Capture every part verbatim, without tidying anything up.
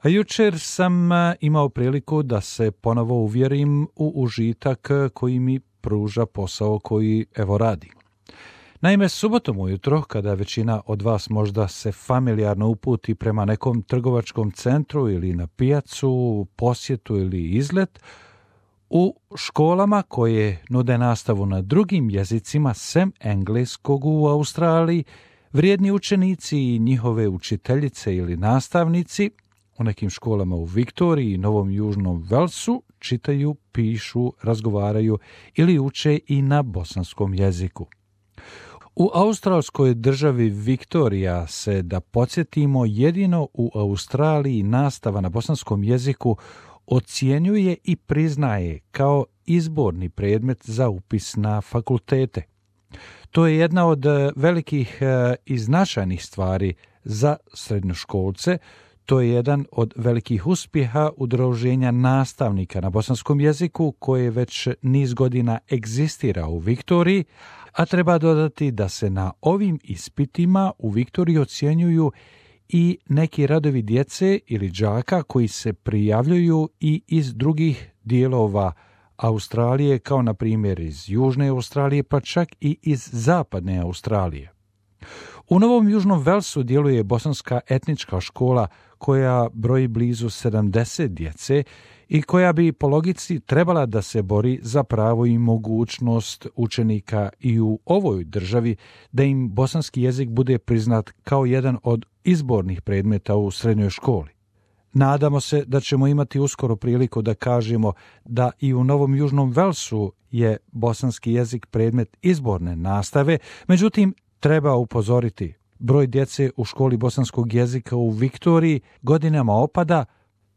A jučer sam imao priliku da se ponovo uvjerim u užitak koji mi pruža posao koji evo radim. Naime, subotom ujutro, kada većina od vas možda se familijarno uputi prema nekom trgovačkom centru ili na pijacu, posjetu ili izlet, u školama koje nude nastavu na drugim jezicima sem engleskog u Australiji, vrijedni učenici i njihove učiteljice ili nastavnici u nekim školama u Viktoriji i Novom Južnom Velsu čitaju, pišu, razgovaraju ili uče i na bosanskom jeziku. U australskoj državi Viktorija se, da podsjetimo, jedino u Australiji nastava na bosanskom jeziku ocjenjuje i priznaje kao izborni predmet za upis na fakultete. To je jedna od velikih i značajnih stvari za srednjoškolce. To je jedan od velikih uspjeha udruženja nastavnika na bosanskom jeziku koje već niz godina egzistira u Viktoriji, a treba dodati da se na ovim ispitima u Viktoriji ocjenjuju i neki radovi djece ili đaka koji se prijavljuju i iz drugih dijelova Australije, kao na primjer iz Južne Australije, pa čak i iz Zapadne Australije. U Novom Južnom Velsu djeluje bosanska etnička škola koja broji blizu sedamdeset djece i koja bi po logici trebala da se bori za pravo i mogućnost učenika i u ovoj državi da im bosanski jezik bude priznat kao jedan od izbornih predmeta u srednjoj školi. Nadamo se da ćemo imati uskoro priliku da kažemo da i u Novom Južnom Velsu je bosanski jezik predmet izborne nastave, međutim treba upozoriti, broj djece u školi bosanskog jezika u Viktoriji godinama opada,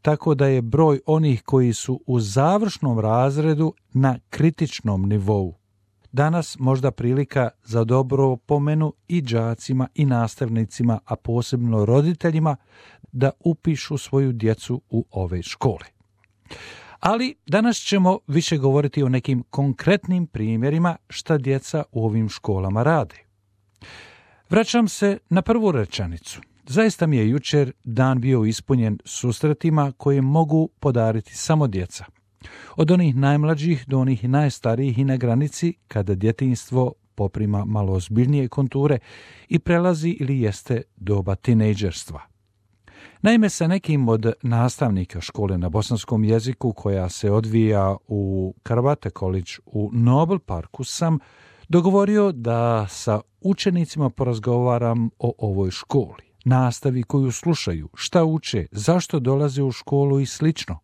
tako da je broj onih koji su u završnom razredu na kritičnom nivou. Danas možda prilika za dobro pomenu i đacima i nastavnicima, a posebno roditeljima, da upišu svoju djecu u ove škole. Ali danas ćemo više govoriti o nekim konkretnim primjerima šta djeca u ovim školama rade. Vraćam se na prvu rečenicu. Zaista mi je jučer dan bio ispunjen susretima koje mogu podariti samo djeca. Od onih najmlađih do onih najstarijih i na granici kada djetinjstvo poprima malo ozbiljnije konture i prelazi ili jeste doba tinejdžerstva. Naime, sa nekim od nastavnika škole na bosanskom jeziku koja se odvija u Karvate College u Noble Parku sam dogovorio da sa učenicima porazgovaram o ovoj školi, nastavi koju slušaju, šta uče, zašto dolaze u školu i slično.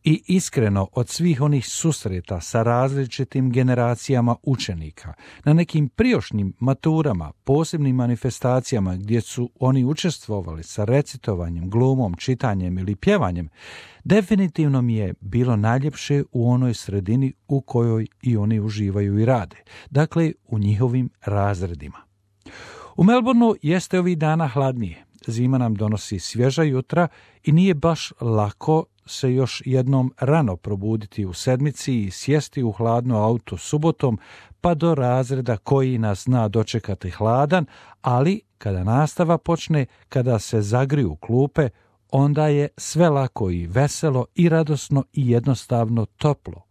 I iskreno, od svih onih susreta sa različitim generacijama učenika, na nekim prijošnjim maturama, posebnim manifestacijama gdje su oni učestvovali sa recitovanjem, glumom, čitanjem ili pjevanjem, definitivno mi je bilo najljepše u onoj sredini u kojoj i oni uživaju i rade, dakle u njihovim razredima. U Melbourneu jeste ovih dana hladnije, zima nam donosi svježa jutra i nije baš lako se još jednom rano probuditi u sedmici i sjesti u hladno auto subotom pa do razreda koji nas zna dočekati hladan, ali kada nastava počne, kada se zagriju klupe, onda je sve lako i veselo i radosno i jednostavno toplo.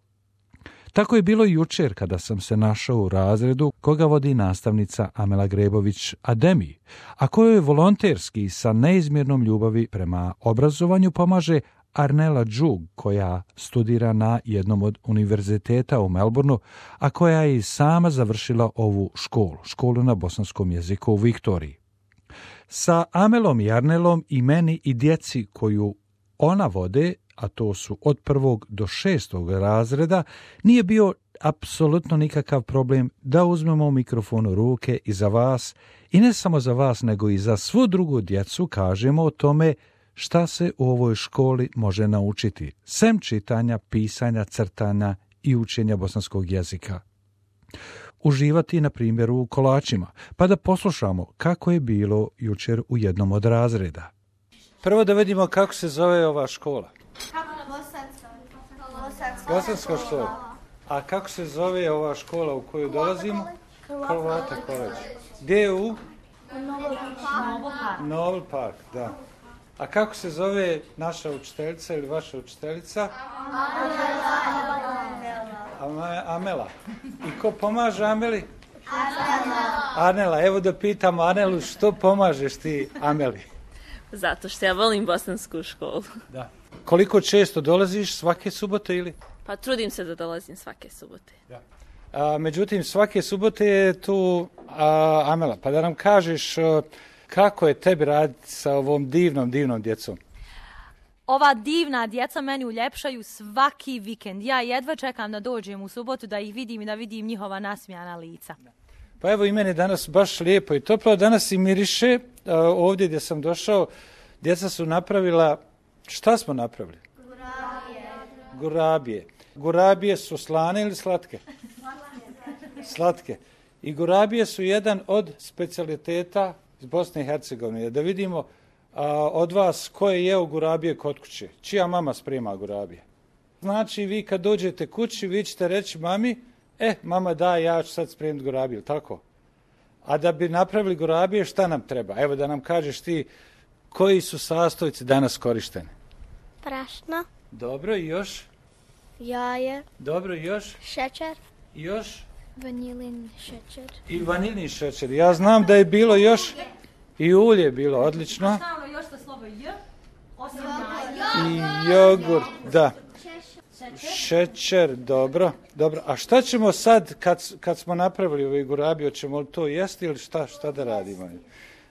Tako je bilo jučer kada sam se našao u razredu koga vodi nastavnica Amela Grebović-Ademi, a kojoj volonterski sa neizmjernom ljubavi prema obrazovanju pomaže Arnela Džug, koja studira na jednom od univerziteta u Melbourneu, a koja je i sama završila ovu školu, školu na bosanskom jeziku u Viktoriji. Sa Amelom i Arnelom i meni i djeci koju ona vode, a to su od prvog do šestog razreda, nije bio apsolutno nikakav problem da uzmemo mikrofon u ruke i za vas, i ne samo za vas, nego i za svu drugu djecu kažemo o tome šta se u ovoj školi može naučiti, sem čitanja, pisanja, crtanja i učenja bosanskog jezika. Uživati, na primjer, u kolačima, pa da poslušamo kako je bilo jučer u jednom od razreda. Prvo da vidimo kako se zove ova škola. Bosanska škola. A kako se zove ova škola u koju dolazimo? Karvate College. Gdje je u? Noble Park, da. A kako se zove naša učiteljica ili vaša učiteljica? Amela. Amela. I ko pomaže Ameli? Anela. Anela, evo da pitam Anelu, što pomažeš ti Ameli? Zato što ja volim bosansku školu. Da. Koliko često dolaziš, svake subote ili? Pa trudim se da dolazim svake subote. Da. A, međutim, svake subote je tu a, Amela, pa da nam kažeš a, kako je tebi raditi sa ovom divnom, divnom djecom? Ova divna djeca meni uljepšaju svaki vikend. Ja jedva čekam da dođem u subotu, da ih vidim i da vidim njihova nasmijana lica. Pa evo i meni danas baš lijepo i toplo. Danas i miriše. Ovdje gdje sam došao, djeca su napravila, šta smo napravili? Gurabije. Gurabije. Gurabije su slane ili slatke? Slatke. I gurabije su jedan od specijaliteta iz Bosne i Hercegovine. Da vidimo a, od vas ko je jeo gurabije kod kuće. Čija mama sprema gurabije? Znači vi kad dođete kući, vi ćete reći mami, e, mama da, ja ću sad spremiti gurabiju, tako? A da bi napravili gurabije, šta nam treba? Evo da nam kažeš ti koji su sastojci danas korišteni. Prašno. Dobro, i još? Jaje. Dobro, i još? Šećer. I još? Vanilin šećer. I vanilni šećer. Ja znam da je bilo još i ulje bilo, odlično. Stalno još sa slovo J, osim I jogurt, da. Šećer, dobro, dobro. A šta ćemo sad kad, kad smo napravili ovaj gurabiju, ćemo li to jesti ili šta, šta da radimo?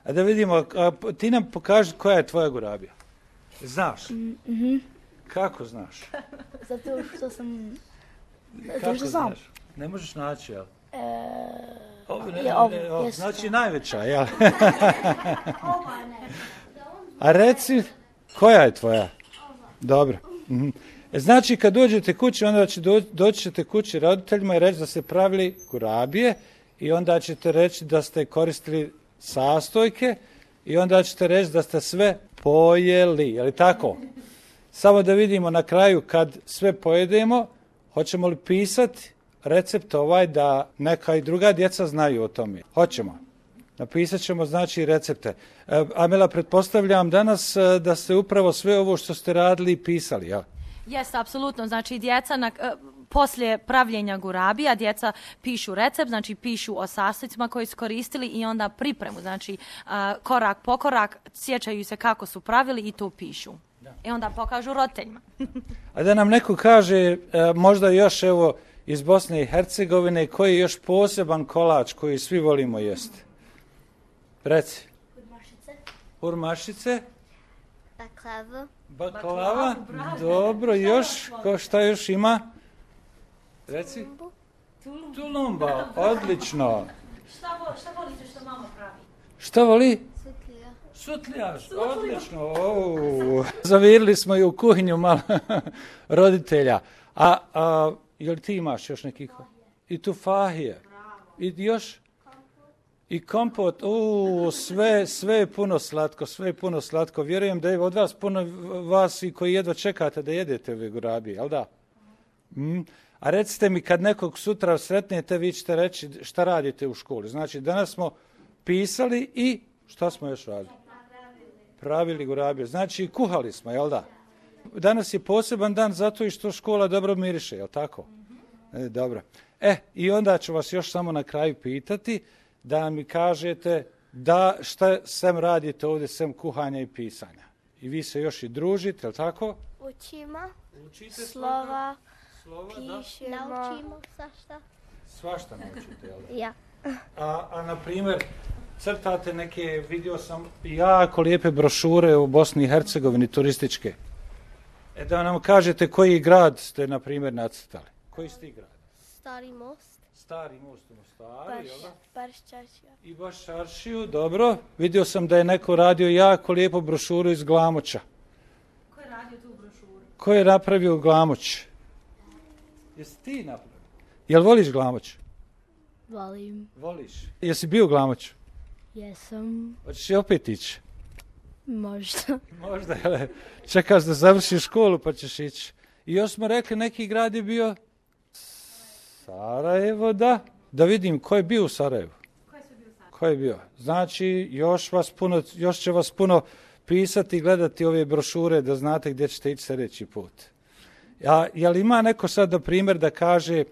A da vidimo, a, ti nam pokaži koja je tvoja gurabija. Znaš? Mm-hmm. Kako znaš? Zato što sam... Kako što znaš? Ne možeš naći, jel? E... Ovo, ne, Je ovo, ne, ovo, jest. znači najveća, jel? A reci, koja je tvoja? Dobro. Mhm. Znači, kad dođete kući, onda će do, doći ćete kući roditeljima i reći da ste pravili gurabije i onda ćete reći da ste koristili sastojke i onda ćete reći da ste sve pojeli. Je li tako? Samo da vidimo na kraju kad sve pojedemo, hoćemo li pisati recept ovaj da neka i druga djeca znaju o tome? Hoćemo. Napisat ćemo znači recepte. E, Amela, pretpostavljam danas da ste upravo sve ovo što ste radili pisali, jel? Jeste, apsolutno. Znači, djeca na, poslije pravljenja gurabija, djeca pišu recept, znači pišu o sastojcima koji su koristili i onda pripremu, znači korak po korak, sjećaju se kako su pravili i to pišu. Da. I onda pokažu roditeljima. A da nam neko kaže, možda još evo iz Bosne i Hercegovine, koji je još poseban kolač koji svi volimo jesti? Reci. Urmašice. Urmašice. Baklava. Baklava, dobro, još, ko šta još ima? Reci. Tulumba. Tulumba, odlično. Šta, vo, šta volite što mama pravi? Šta voli? Sutlija. Sutljaš, odlično. O, zavirili smo i u kuhinju malo roditelja. A, a jel ti imaš još nekih? I tu fahije. I još? I kompot, u sve, sve je puno slatko, sve je puno slatko. Vjerujem da je od vas puno vas i koji jedva čekate da jedete ove gurabije, jel da? Mm. A recite mi, kad nekog sutra sretnete, vi ćete reći šta radite u školi. Znači, danas smo pisali i šta smo još radili? Pravili gurabije. Znači, kuhali smo, jel da? Danas je poseban dan zato i što škola dobro miriše, jel tako? E, dobro. E, i onda ću vas još samo na kraju pitati da mi kažete da šta sem radite ovdje, sem kuhanja i pisanja. I vi se još i družite, je li tako? Učimo. Učite slova. Slova, pišemo. Naučimo svašta. Svašta naučite, jel da? Ja. A, a na primjer, crtate neke, vidio sam jako lijepe brošure u Bosni i Hercegovini, turističke. E da nam kažete koji grad ste, na primjer, nacrtali. Koji ste grad? Stari most. Stari most u Mostaru, Baš, jel da? baš čaršija. I baš Čaršiju, dobro. Vidio sam da je neko radio jako lijepo brošuru iz Glamoća. Ko je radio tu brošuru? Ko je napravio Glamoć? Jesi ti napravio? Jel voliš Glamoć? Volim. Voliš. Jesi bio u Glamoću? Jesam. Hoćeš i opet ići? Možda. Možda, jel? Čekaš da završiš školu pa ćeš ići. I još smo rekli, neki grad je bio Sarajevo, da. Da vidim, ko je bio u Sarajevu? Ko je sve bio u Sarajevu? Ko je bio? Znači, još, vas puno, još će vas puno pisati i gledati ove brošure da znate gdje ćete ići sljedeći put. A je li ima neko sad, na primjer, da kaže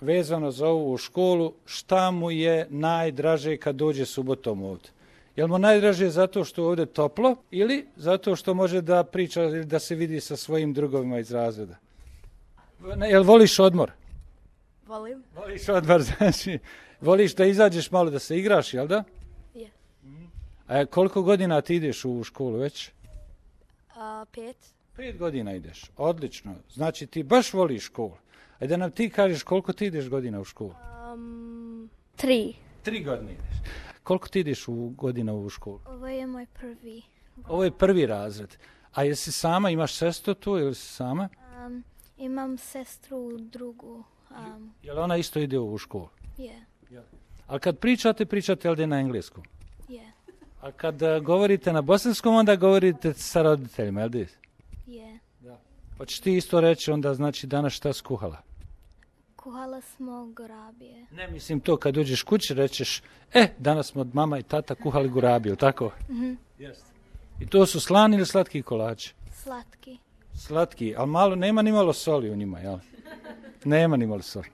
vezano za ovu školu šta mu je najdraže kad dođe subotom ovdje? Je li mu najdraže zato što je ovdje toplo ili zato što može da priča ili da se vidi sa svojim drugovima iz razreda? Jel voliš odmor? Volim. Voliš odmor, znači voliš da izađeš malo da se igraš, jel da? Je. A koliko godina ti ideš u školu već? A, pet. Pet godina ideš, odlično. Znači ti baš voliš školu. Ajde da nam ti kažeš koliko ti ideš godina u školu? Um, tri. Tri godine ideš. Koliko ti ideš u godina u školu? Ovo je moj prvi. Ovo je prvi razred. A jesi sama, imaš sestru tu ili si sama? Um, imam sestru drugu. Um, Jel ona isto ide u školu? je. Ali kad pričate, pričate ovdje na engleskom? Je. A kad uh, govorite na bosanskom, onda govorite sa roditeljima, jel di? Je. Pa ćeš ti isto reći onda, znači, danas šta skuhala? Kuhala smo gurabije. Ne, mislim to, kad uđeš kući rećeš, e, danas smo od mama i tata kuhali gurabiju, tako? Mhm. Jeste. I to su slani ili slatki kolači? Slatki. Slatki, ali malo, nema ni malo soli u njima, jel? Nema ni malo soli.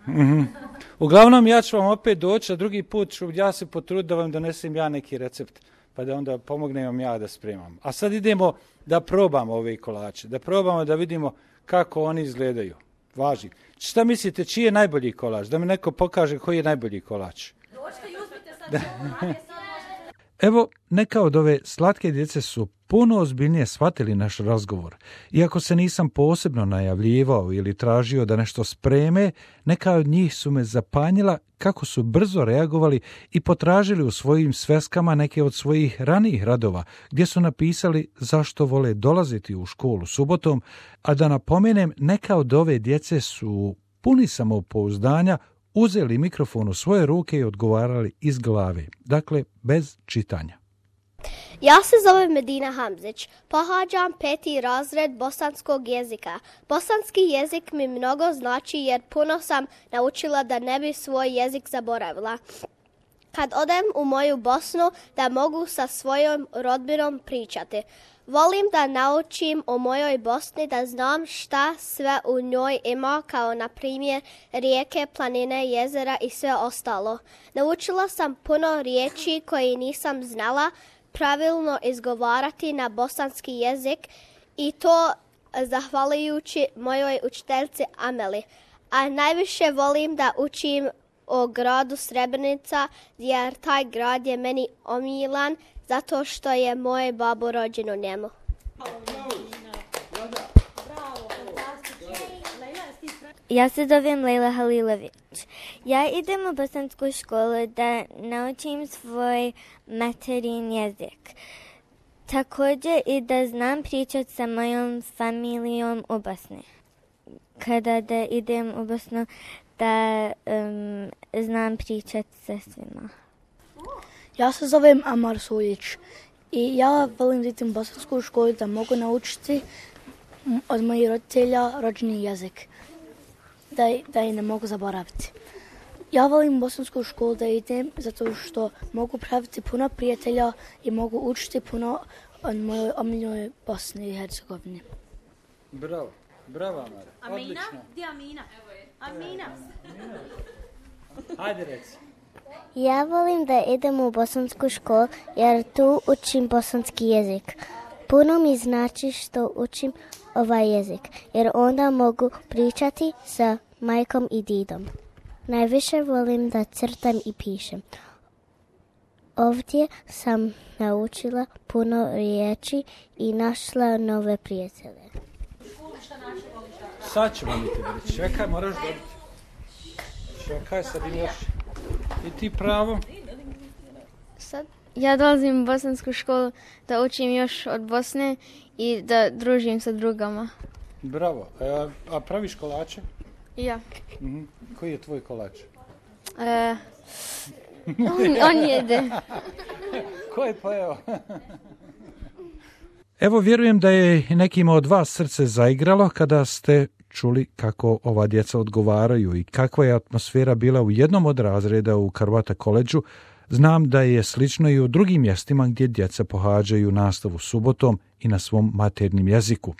Mm-hmm. Uglavnom, ja ću vam opet doći, a drugi put ću ja se potruditi da vam donesem ja neki recept, pa da onda pomognem vam ja da spremam. A sad idemo da probamo ove kolače, da probamo da vidimo kako oni izgledaju. Važi. Šta mislite, čiji je najbolji kolač? Da mi neko pokaže koji je najbolji kolač. Evo, neka od ove slatke djece su puno ozbiljnije shvatili naš razgovor. Iako se nisam posebno najavljivao ili tražio da nešto spreme, neka od njih su me zapanjila kako su brzo reagovali i potražili u svojim sveskama neke od svojih ranijih radova, gdje su napisali zašto vole dolaziti u školu subotom, a da napomenem, neka od ove djece su puni samopouzdanja uzeli mikrofon u svoje ruke i odgovarali iz glave, dakle bez čitanja. Ja se zovem Medina Hamzić, pohađam peti razred bosanskog jezika. Bosanski jezik mi mnogo znači jer puno sam naučila da ne bi svoj jezik zaboravila. Kad odem u moju Bosnu da mogu sa svojom rodbinom pričati. Volim da naučim o mojoj Bosni, da znam šta sve u njoj ima, kao na primjer rijeke, planine, jezera i sve ostalo. Naučila sam puno riječi koje nisam znala pravilno izgovarati na bosanski jezik i to zahvaljujući mojoj učiteljici Ameli. A najviše volim da učim o gradu Srebrenica, jer taj grad je meni omiljan zato što je moj babo rođen u njemu. Ja se zovem Lejla Halilović. Ja idem u bosansku školu da naučim svoj materin jezik. Također i da znam pričati sa mojom familijom u Bosni. Kada da idem u Bosnu, da um, znam pričati sa svima. Ja se zovem Amar Suljić i ja volim da idem u bosansku školu da mogu naučiti od mojih roditelja rođeni jezik, da, da i ne mogu zaboraviti. Ja volim bosansku školu da idem zato što mogu praviti puno prijatelja i mogu učiti puno od mojoj omiljenoj Bosni i Hercegovini. Bravo, bravo Amara. Amina? Gdje Amina? Evo je. Amina. Hajde reci. Ja volim da idem u bosansku školu jer tu učim bosanski jezik. Puno mi znači što učim ovaj jezik jer onda mogu pričati sa majkom i didom. Najviše volim da crtam i pišem. Ovdje sam naučila puno riječi i našla nove prijatelje. Sad ćemo mi te reći. Čekaj, moraš dobiti. Čekaj, sad imaš i ti pravo. Sad ja dolazim u bosansku školu da učim još od Bosne i da družim sa drugama. Bravo. A, a praviš kolače? Ja. Mhm. Koji je tvoj kolač? E, on, on jede. Ko je pojeo? Evo, vjerujem da je nekima od vas srce zaigralo kada ste čuli kako ova djeca odgovaraju i kakva je atmosfera bila u jednom od razreda u Karvata koledžu Znam da je slično i u drugim mjestima gdje djeca pohađaju nastavu subotom i na svom maternjem jeziku.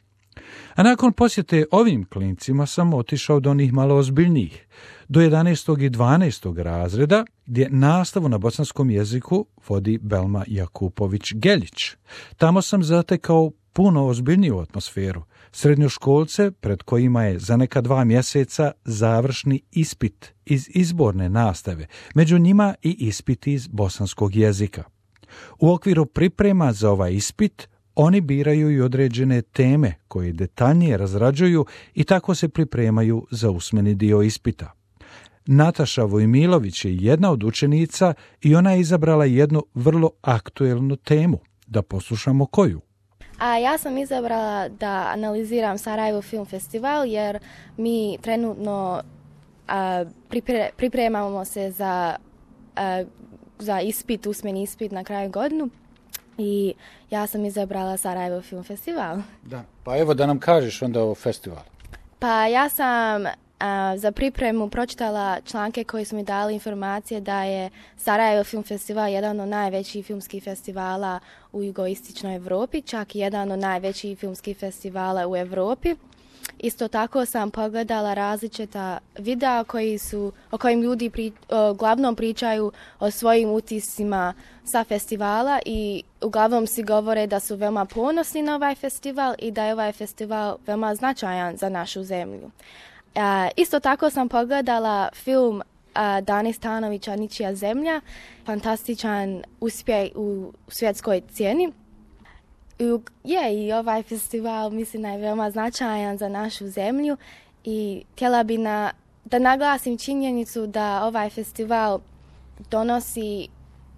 A nakon posjete ovim klincima sam otišao do onih malo ozbiljnijih, do jedanaestog i dvanaestog razreda, gdje nastavu na bosanskom jeziku vodi Belma Jakupović-Geljić. Tamo sam zatekao puno ozbiljniju atmosferu, srednjoškolce pred kojima je za neka dva mjeseca završni ispit iz izborne nastave, među njima i ispit iz bosanskog jezika. U okviru priprema za ovaj ispit oni biraju i određene teme koje detaljnije razrađuju i tako se pripremaju za usmeni dio ispita. Nataša Vojmilović je jedna od učenica i ona je izabrala jednu vrlo aktuelnu temu. Da poslušamo koju. A ja sam izabrala da analiziram Sarajevo Film Festival jer mi trenutno a, pripre, pripremamo se za, a, za ispit, usmeni ispit na kraju godinu. I ja sam izabrala Sarajevo Film Festival. Da. Pa evo da nam kažeš onda o festivalu. Pa ja sam a, za pripremu pročitala članke koji su mi dali informacije da je Sarajevo Film Festival jedan od najvećih filmskih festivala u jugoistočnoj Europi, čak i jedan od najvećih filmskih festivala u Europi. Isto tako sam pogledala različita videa koji su, o kojim ljudi pri, o, uglavnom pričaju o svojim utiscima sa festivala i uglavnom si govore da su veoma ponosni na ovaj festival i da je ovaj festival veoma značajan za našu zemlju. A, isto tako sam pogledala film a, Dane Stanovića Ničija zemlja, fantastičan uspjeh u svjetskoj cijeni. Je, i ovaj festival mislim da je veoma značajan za našu zemlju i htjela bi na, da naglasim činjenicu da ovaj festival donosi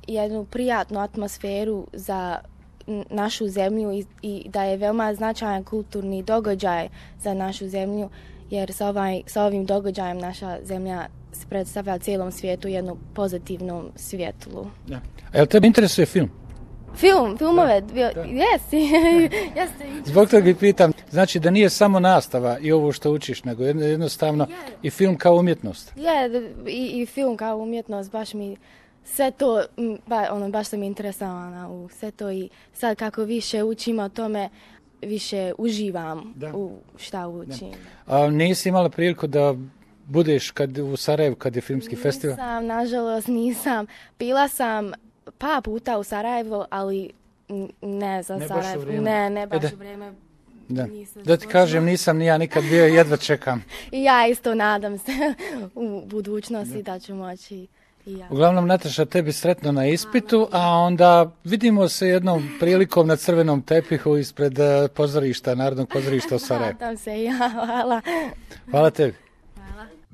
jednu prijatnu atmosferu za našu zemlju i, i da je veoma značajan kulturni događaj za našu zemlju jer sa, ovaj, sa ovim događajem naša zemlja se predstavlja cijelom svijetu jednu pozitivnom svjetlu. Ja. A jel tebe interesuje film? Film, filmove, jesi, jeste. Zbog toga i pitam, znači da nije samo nastava i ovo što učiš, nego jednostavno yeah. i film kao umjetnost. Je, yeah, i, i film kao umjetnost, baš mi sve to, ba, ono, baš sam interesovana u sve to i sad kako više učim o tome, više uživam da. u šta učim. Da. A nisi imala priliku da budeš kad, u Sarajevu kad je filmski nisam, festival? Nisam, nažalost nisam. Bila sam pa puta u Sarajevo, ali ne za ne Sarajevo. Ne, ne baš u vrijeme. Da. da ti kažem, nisam ni ja nikad bio, jedva čekam. I ja isto nadam se u budućnosti da, da ću moći i ja. Uglavnom, Nataša, tebi sretno na ispitu, a onda vidimo se jednom prilikom na crvenom tepihu ispred pozorišta, Narodnog pozorišta u Sarajevu. Nadam se, ja, hvala. Hvala tebi.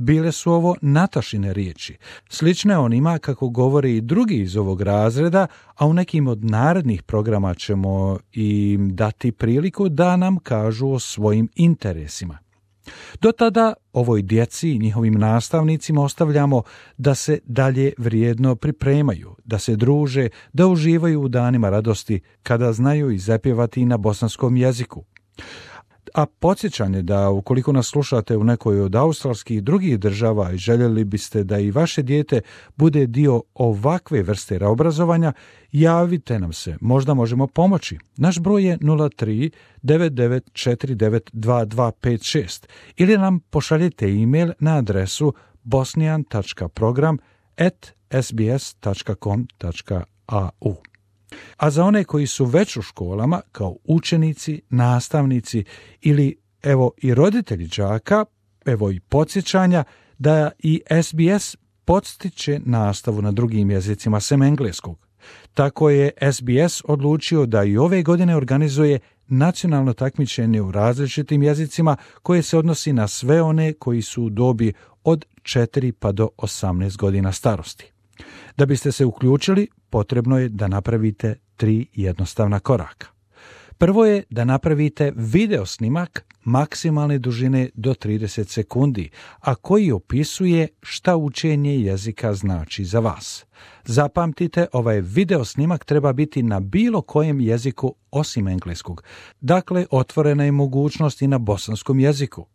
Bile su ovo Natašine riječi, slične onima kako govore i drugi iz ovog razreda, a u nekim od narednih programa ćemo im dati priliku da nam kažu o svojim interesima. Do tada ovoj djeci i njihovim nastavnicima ostavljamo da se dalje vrijedno pripremaju, da se druže, da uživaju u danima radosti kada znaju i zapjevati na bosanskom jeziku. A podsjećanje da ukoliko nas slušate u nekoj od australskih i drugih država i željeli biste da i vaše dijete bude dio ovakve vrste obrazovanja, javite nam se, možda možemo pomoći. Naš broj je nula tri devet devet četiri devet dva dva pet šest ili nam pošaljite e-mail na adresu bosnian tačka program at s b s tačka com tačka a u. A za one koji su već u školama, kao učenici, nastavnici ili evo i roditelji đaka, evo i podsjećanja da i S B S podstiče nastavu na drugim jezicima sem engleskog. Tako je S B S odlučio da i ove godine organizuje nacionalno takmičenje u različitim jezicima koje se odnosi na sve one koji su u dobi od četiri pa do osamnaest godina starosti. Da biste se uključili, potrebno je da napravite tri jednostavna koraka. Prvo je da napravite video snimak maksimalne dužine do trideset sekundi, a koji opisuje šta učenje jezika znači za vas. Zapamtite, ovaj video snimak treba biti na bilo kojem jeziku osim engleskog. Dakle, otvorena je mogućnost i na bosanskom jeziku.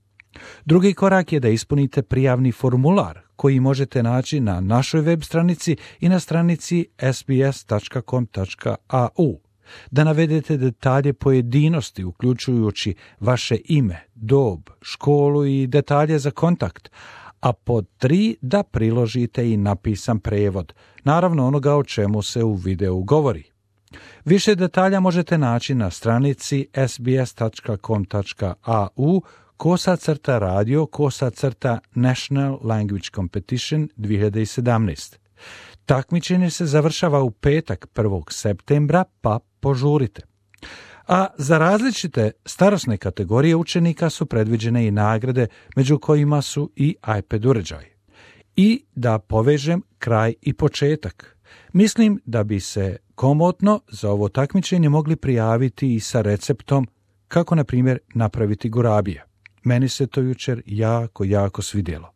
Drugi korak je da ispunite prijavni formular koji možete naći na našoj web stranici i na stranici s b s tačka com tačka a u. Da navedete detalje pojedinosti uključujući vaše ime, dob, školu i detalje za kontakt, a pod tri da priložite i napisan prevod, naravno onoga o čemu se u videu govori. Više detalja možete naći na stranici s b s tačka com tačka a u kosa crta radio kosa crta National Language Competition dvije hiljade sedamnaest. Takmičenje se završava u petak prvog septembra, pa požurite. A za različite starosne kategorije učenika su predviđene i nagrade, među kojima su i iPad uređaj. I da povežem kraj i početak. Mislim da bi se komotno za ovo takmičenje mogli prijaviti i sa receptom kako, na primjer, napraviti gurabije. Meni se to jučer jako, jako svidjelo.